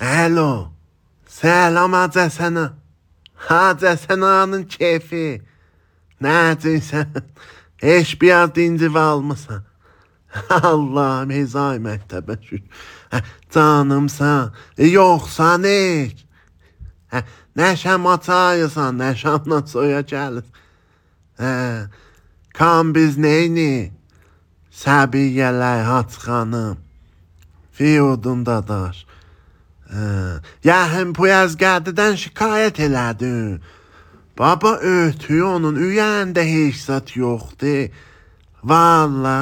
Alo. Selam Hacı Həsənə. Hacı Həsənənin keyfi. Necəsən? Heç biraz dincib almısan. Allah'ım hezay məktəbə şükür. Canımsan. Yoxsa ne? Nəşəm açayısan, nəşəmlə soya gəlir. Kan biz neyni? Səbiyyələr Haç xanım. Fiyodun dadaş. Yaxın Puyazgadidən şikayət elədin. Baba ötüyor onun üyəndə heç zat yoxdur. Valla.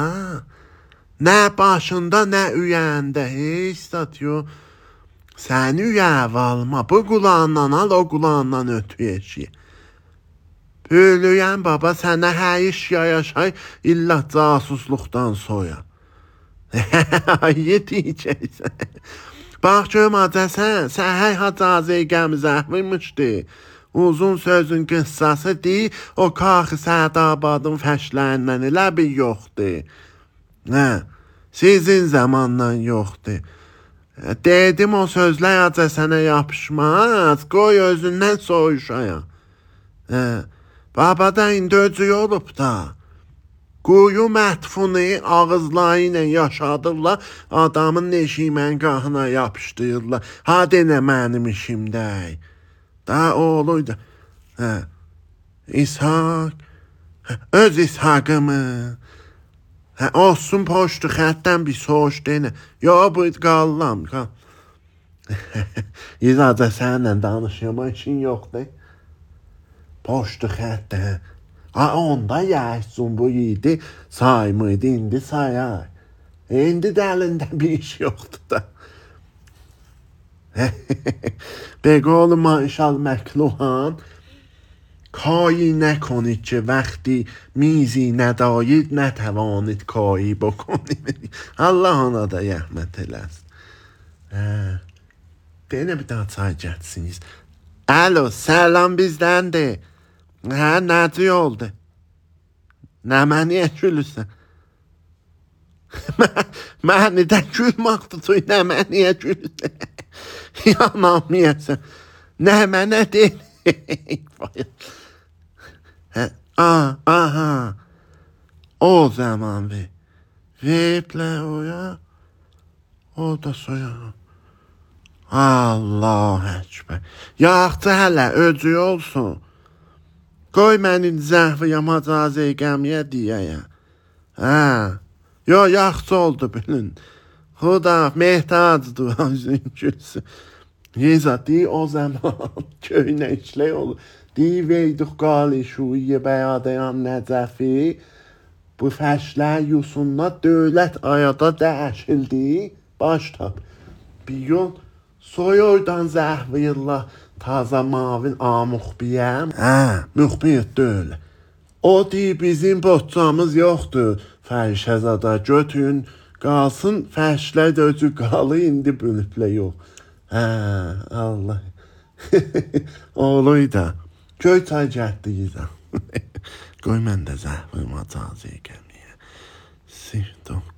Nə başında, nə üyəndə heç zat yox. Sən üyə alma. Bu qulağından al, o qulağından ötü eşiyə. Böylüyən baba sənə hər iş yaşay, illa casusluqdan soya. Yetiyəcəksən. Bax görüm Hacəsən, səhər Hacazəyə gəmizəhmişdi. Uzun sözün qıssası deyil, o Kaxı Sədabadın fəşlərindən elə bir yoxdur. Sizin zamandan yoxdur. Dedim o sözlər Hacəsənə yapışmaz, qoy özündən soyuşaya. Babada indi öcü olub da. Quyu mətfunu ağızları ilə yaşadırlar, adamın neşiməngahına yapışdırırlar. Ha denə mənim işimdə. Da oğluydu. İshak. Öz İshakımı. Olsun poştu xətdən bir soğuş denə. Yo bu qallam. İzadə sənlə danışıma işin yoxdur. Poştu xətdən. Onda yəhsun bu yedi saymıydı, indi sayar. İndi də əlində bir iş yoxdur da. بقول ماشال مکلوهان کاری نکنید که وقتی میزی ندارید نتوانید کاری بکنید. Allah ona da rəhmət eləsin. Deyinə bir daha çay gətsiniz. Alo, selam bizdəndir. Necə oldu? Nə məniyə gülürsən? Məni də gülmək tutuy, nə məniyə gülürsən? Yanamıyəsən. Nə mənə deyil. Aha. O zaman Veplə oya. O da soya. Allah əkbər. Yaxçı hələ öcü olsun. Qoy mənim zəhviyəm Hacazəyə gəmiyə deyəyəm. Yo, yaxçı oldu bilin. Xuda mehtacdır özün gülsün. Yeza dey o zaman köynə işlək olur. Dey veyduq qali şuiyə bəyadayan Nəcəfi. Bu fəşlər yusunla dövlət ayada dəyişildi. Baştab. Bir yol soyurdan zəhviyillah. Taza mavin muxbiyəm. Müxbir deyil. O deyir bizim boçamız yoxdur. Fərşəzada götün qalsın, fəşlər də öcü qalı indi bölüblə yox. Allah. Oğluy da. Göy çay gətdiyiz. Qoy mən də zəhvim Hacazəyə gəmiyə.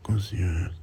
0900